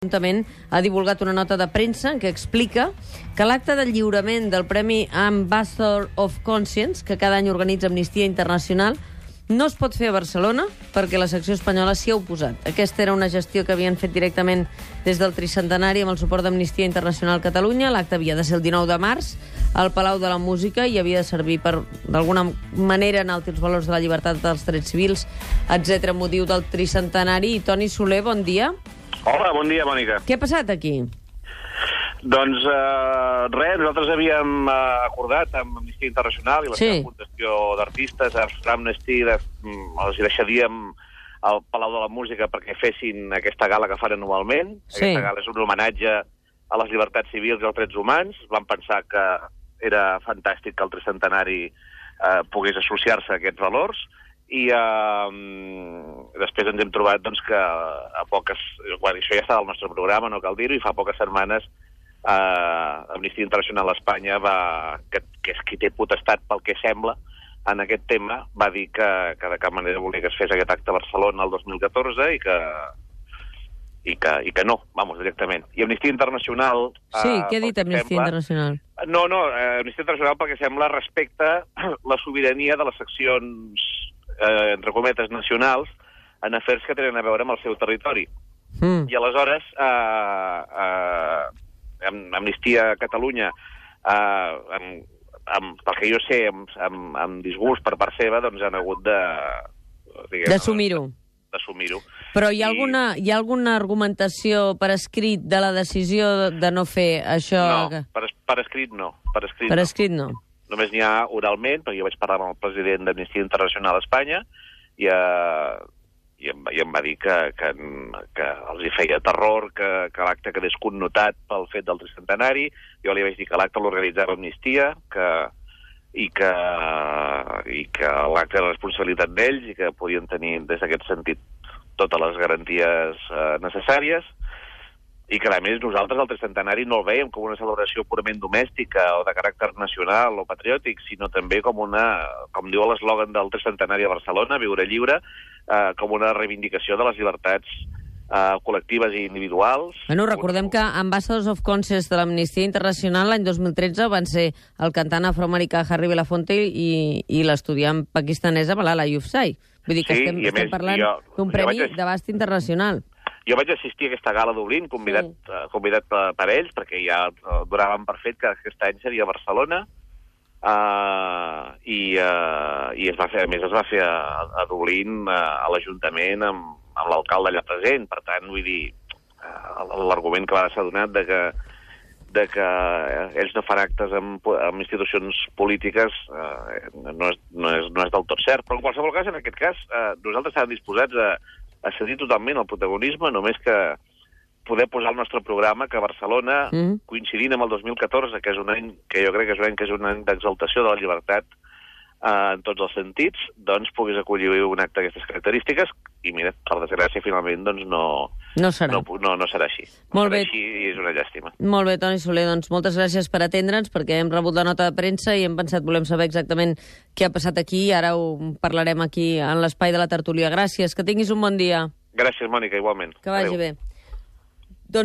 L'Ajuntament ha divulgat una nota de premsa que explica que l'acte de lliurament del Premi Ambassador of Conscience, que cada any organitza Amnistia Internacional, no es pot fer a Barcelona perquè la secció espanyola s'hi ha oposat. Aquesta era una gestió que havien fet directament des del tricentenari amb el suport d'Amnistia Internacional Catalunya. L'acte havia de ser el 19 de març al Palau de la Música i havia de servir per, d'alguna manera, enaltir els valors de la llibertat dels drets civils, etc. motiu del tricentenari. I Toni Soler, bon dia. Hola, bon dia, Mònica. Què ha passat aquí? Doncs res, nosaltres havíem acordat amb Amnistia Internacional i la seva fundació d'artistes, Amnesty, els deixaríem al Palau de la Música perquè fessin aquesta gala que fan anualment. Sí. Aquesta gala és un homenatge a les llibertats civils i als drets humans. Vam pensar que era fantàstic que el tricentenari pogués associar-se a aquests valors. I després ens hem trobat doncs, que a poques... Bueno, això ja està al nostre programa, no cal dir-ho, i fa poques setmanes Amnistia Internacional a Espanya, que és qui té potestat pel que sembla en aquest tema, va dir que de cap manera volia que es fes aquest acte a Barcelona el 2014 i que no, vamos, directament. I Amnistia Internacional... Sí, què ha dit Amnistia Internacional? No, Amnistia Internacional perquè sembla respecta la sobirania de les seccions entre cometes, nacionals, en afers que tenen a veure amb el seu territori. I aleshores, Amnistia Catalunya, pel que jo sé, amb disgust per part seva, doncs han hagut d'assumir-ho. D'assumir-ho. Però hi ha alguna argumentació per escrit de la decisió de no fer això? No, per escrit no. Per escrit no. Només n'hi ha oralment, perquè jo vaig parlar amb el president d'Amnistia Internacional a Espanya i em va dir que els hi feia terror que l'acte quedés connotat pel fet del tricentenari. Jo li vaig dir que l'acte l'organitzava Amnistia i que l'acte era responsabilitat d'ells i que podien tenir, des d'aquest sentit, totes les garanties necessàries. I que, a més, nosaltres el tricentenari no el veiem com una celebració purament domèstica o de caràcter nacional o patriòtic, sinó també com diu l'eslògan del tricentenari a Barcelona, viure lliure, com una reivindicació de les llibertats col·lectives i individuals. Bueno, recordem que Ambassadors of Conscience de l'Amnistia Internacional l'any 2013 van ser el cantant afroamericà Harry Belafonte i l'estudiant pakistanesa Malala Yousafzai. Vull dir que estem parlant d'un premi d'abast internacional. Jo vaig assistir a aquesta gala Dublín, convidat per ells, perquè ja donaven per fet que aquest any seria a Barcelona, i es va fer a Dublín, a l'Ajuntament, amb l'alcalde allà present. Per tant, vull dir, l'argument que va ser donat de que ells no fan actes amb institucions polítiques no és del tot cert. Però en qualsevol cas, en aquest cas, nosaltres estàvem disposats a cedir totalment el protagonisme, només que poder posar al nostre programa que Barcelona, coincidint amb el 2014, que és un any que jo crec que és un any d'exaltació de la llibertat en tots els sentits, doncs pogués acollir un acte d'aquestes característiques i, mira, per desgràcia, finalment, doncs no serà així. Molt bé. Així i és una llàstima. Molt bé, Toni Soler, doncs moltes gràcies per atendre'ns, perquè hem rebut la nota de premsa i hem pensat, volem saber exactament què ha passat aquí, i ara ho parlarem aquí en l'espai de la tertúlia. Gràcies, que tinguis un bon dia. Gràcies, Mònica, igualment. Que vagi bé.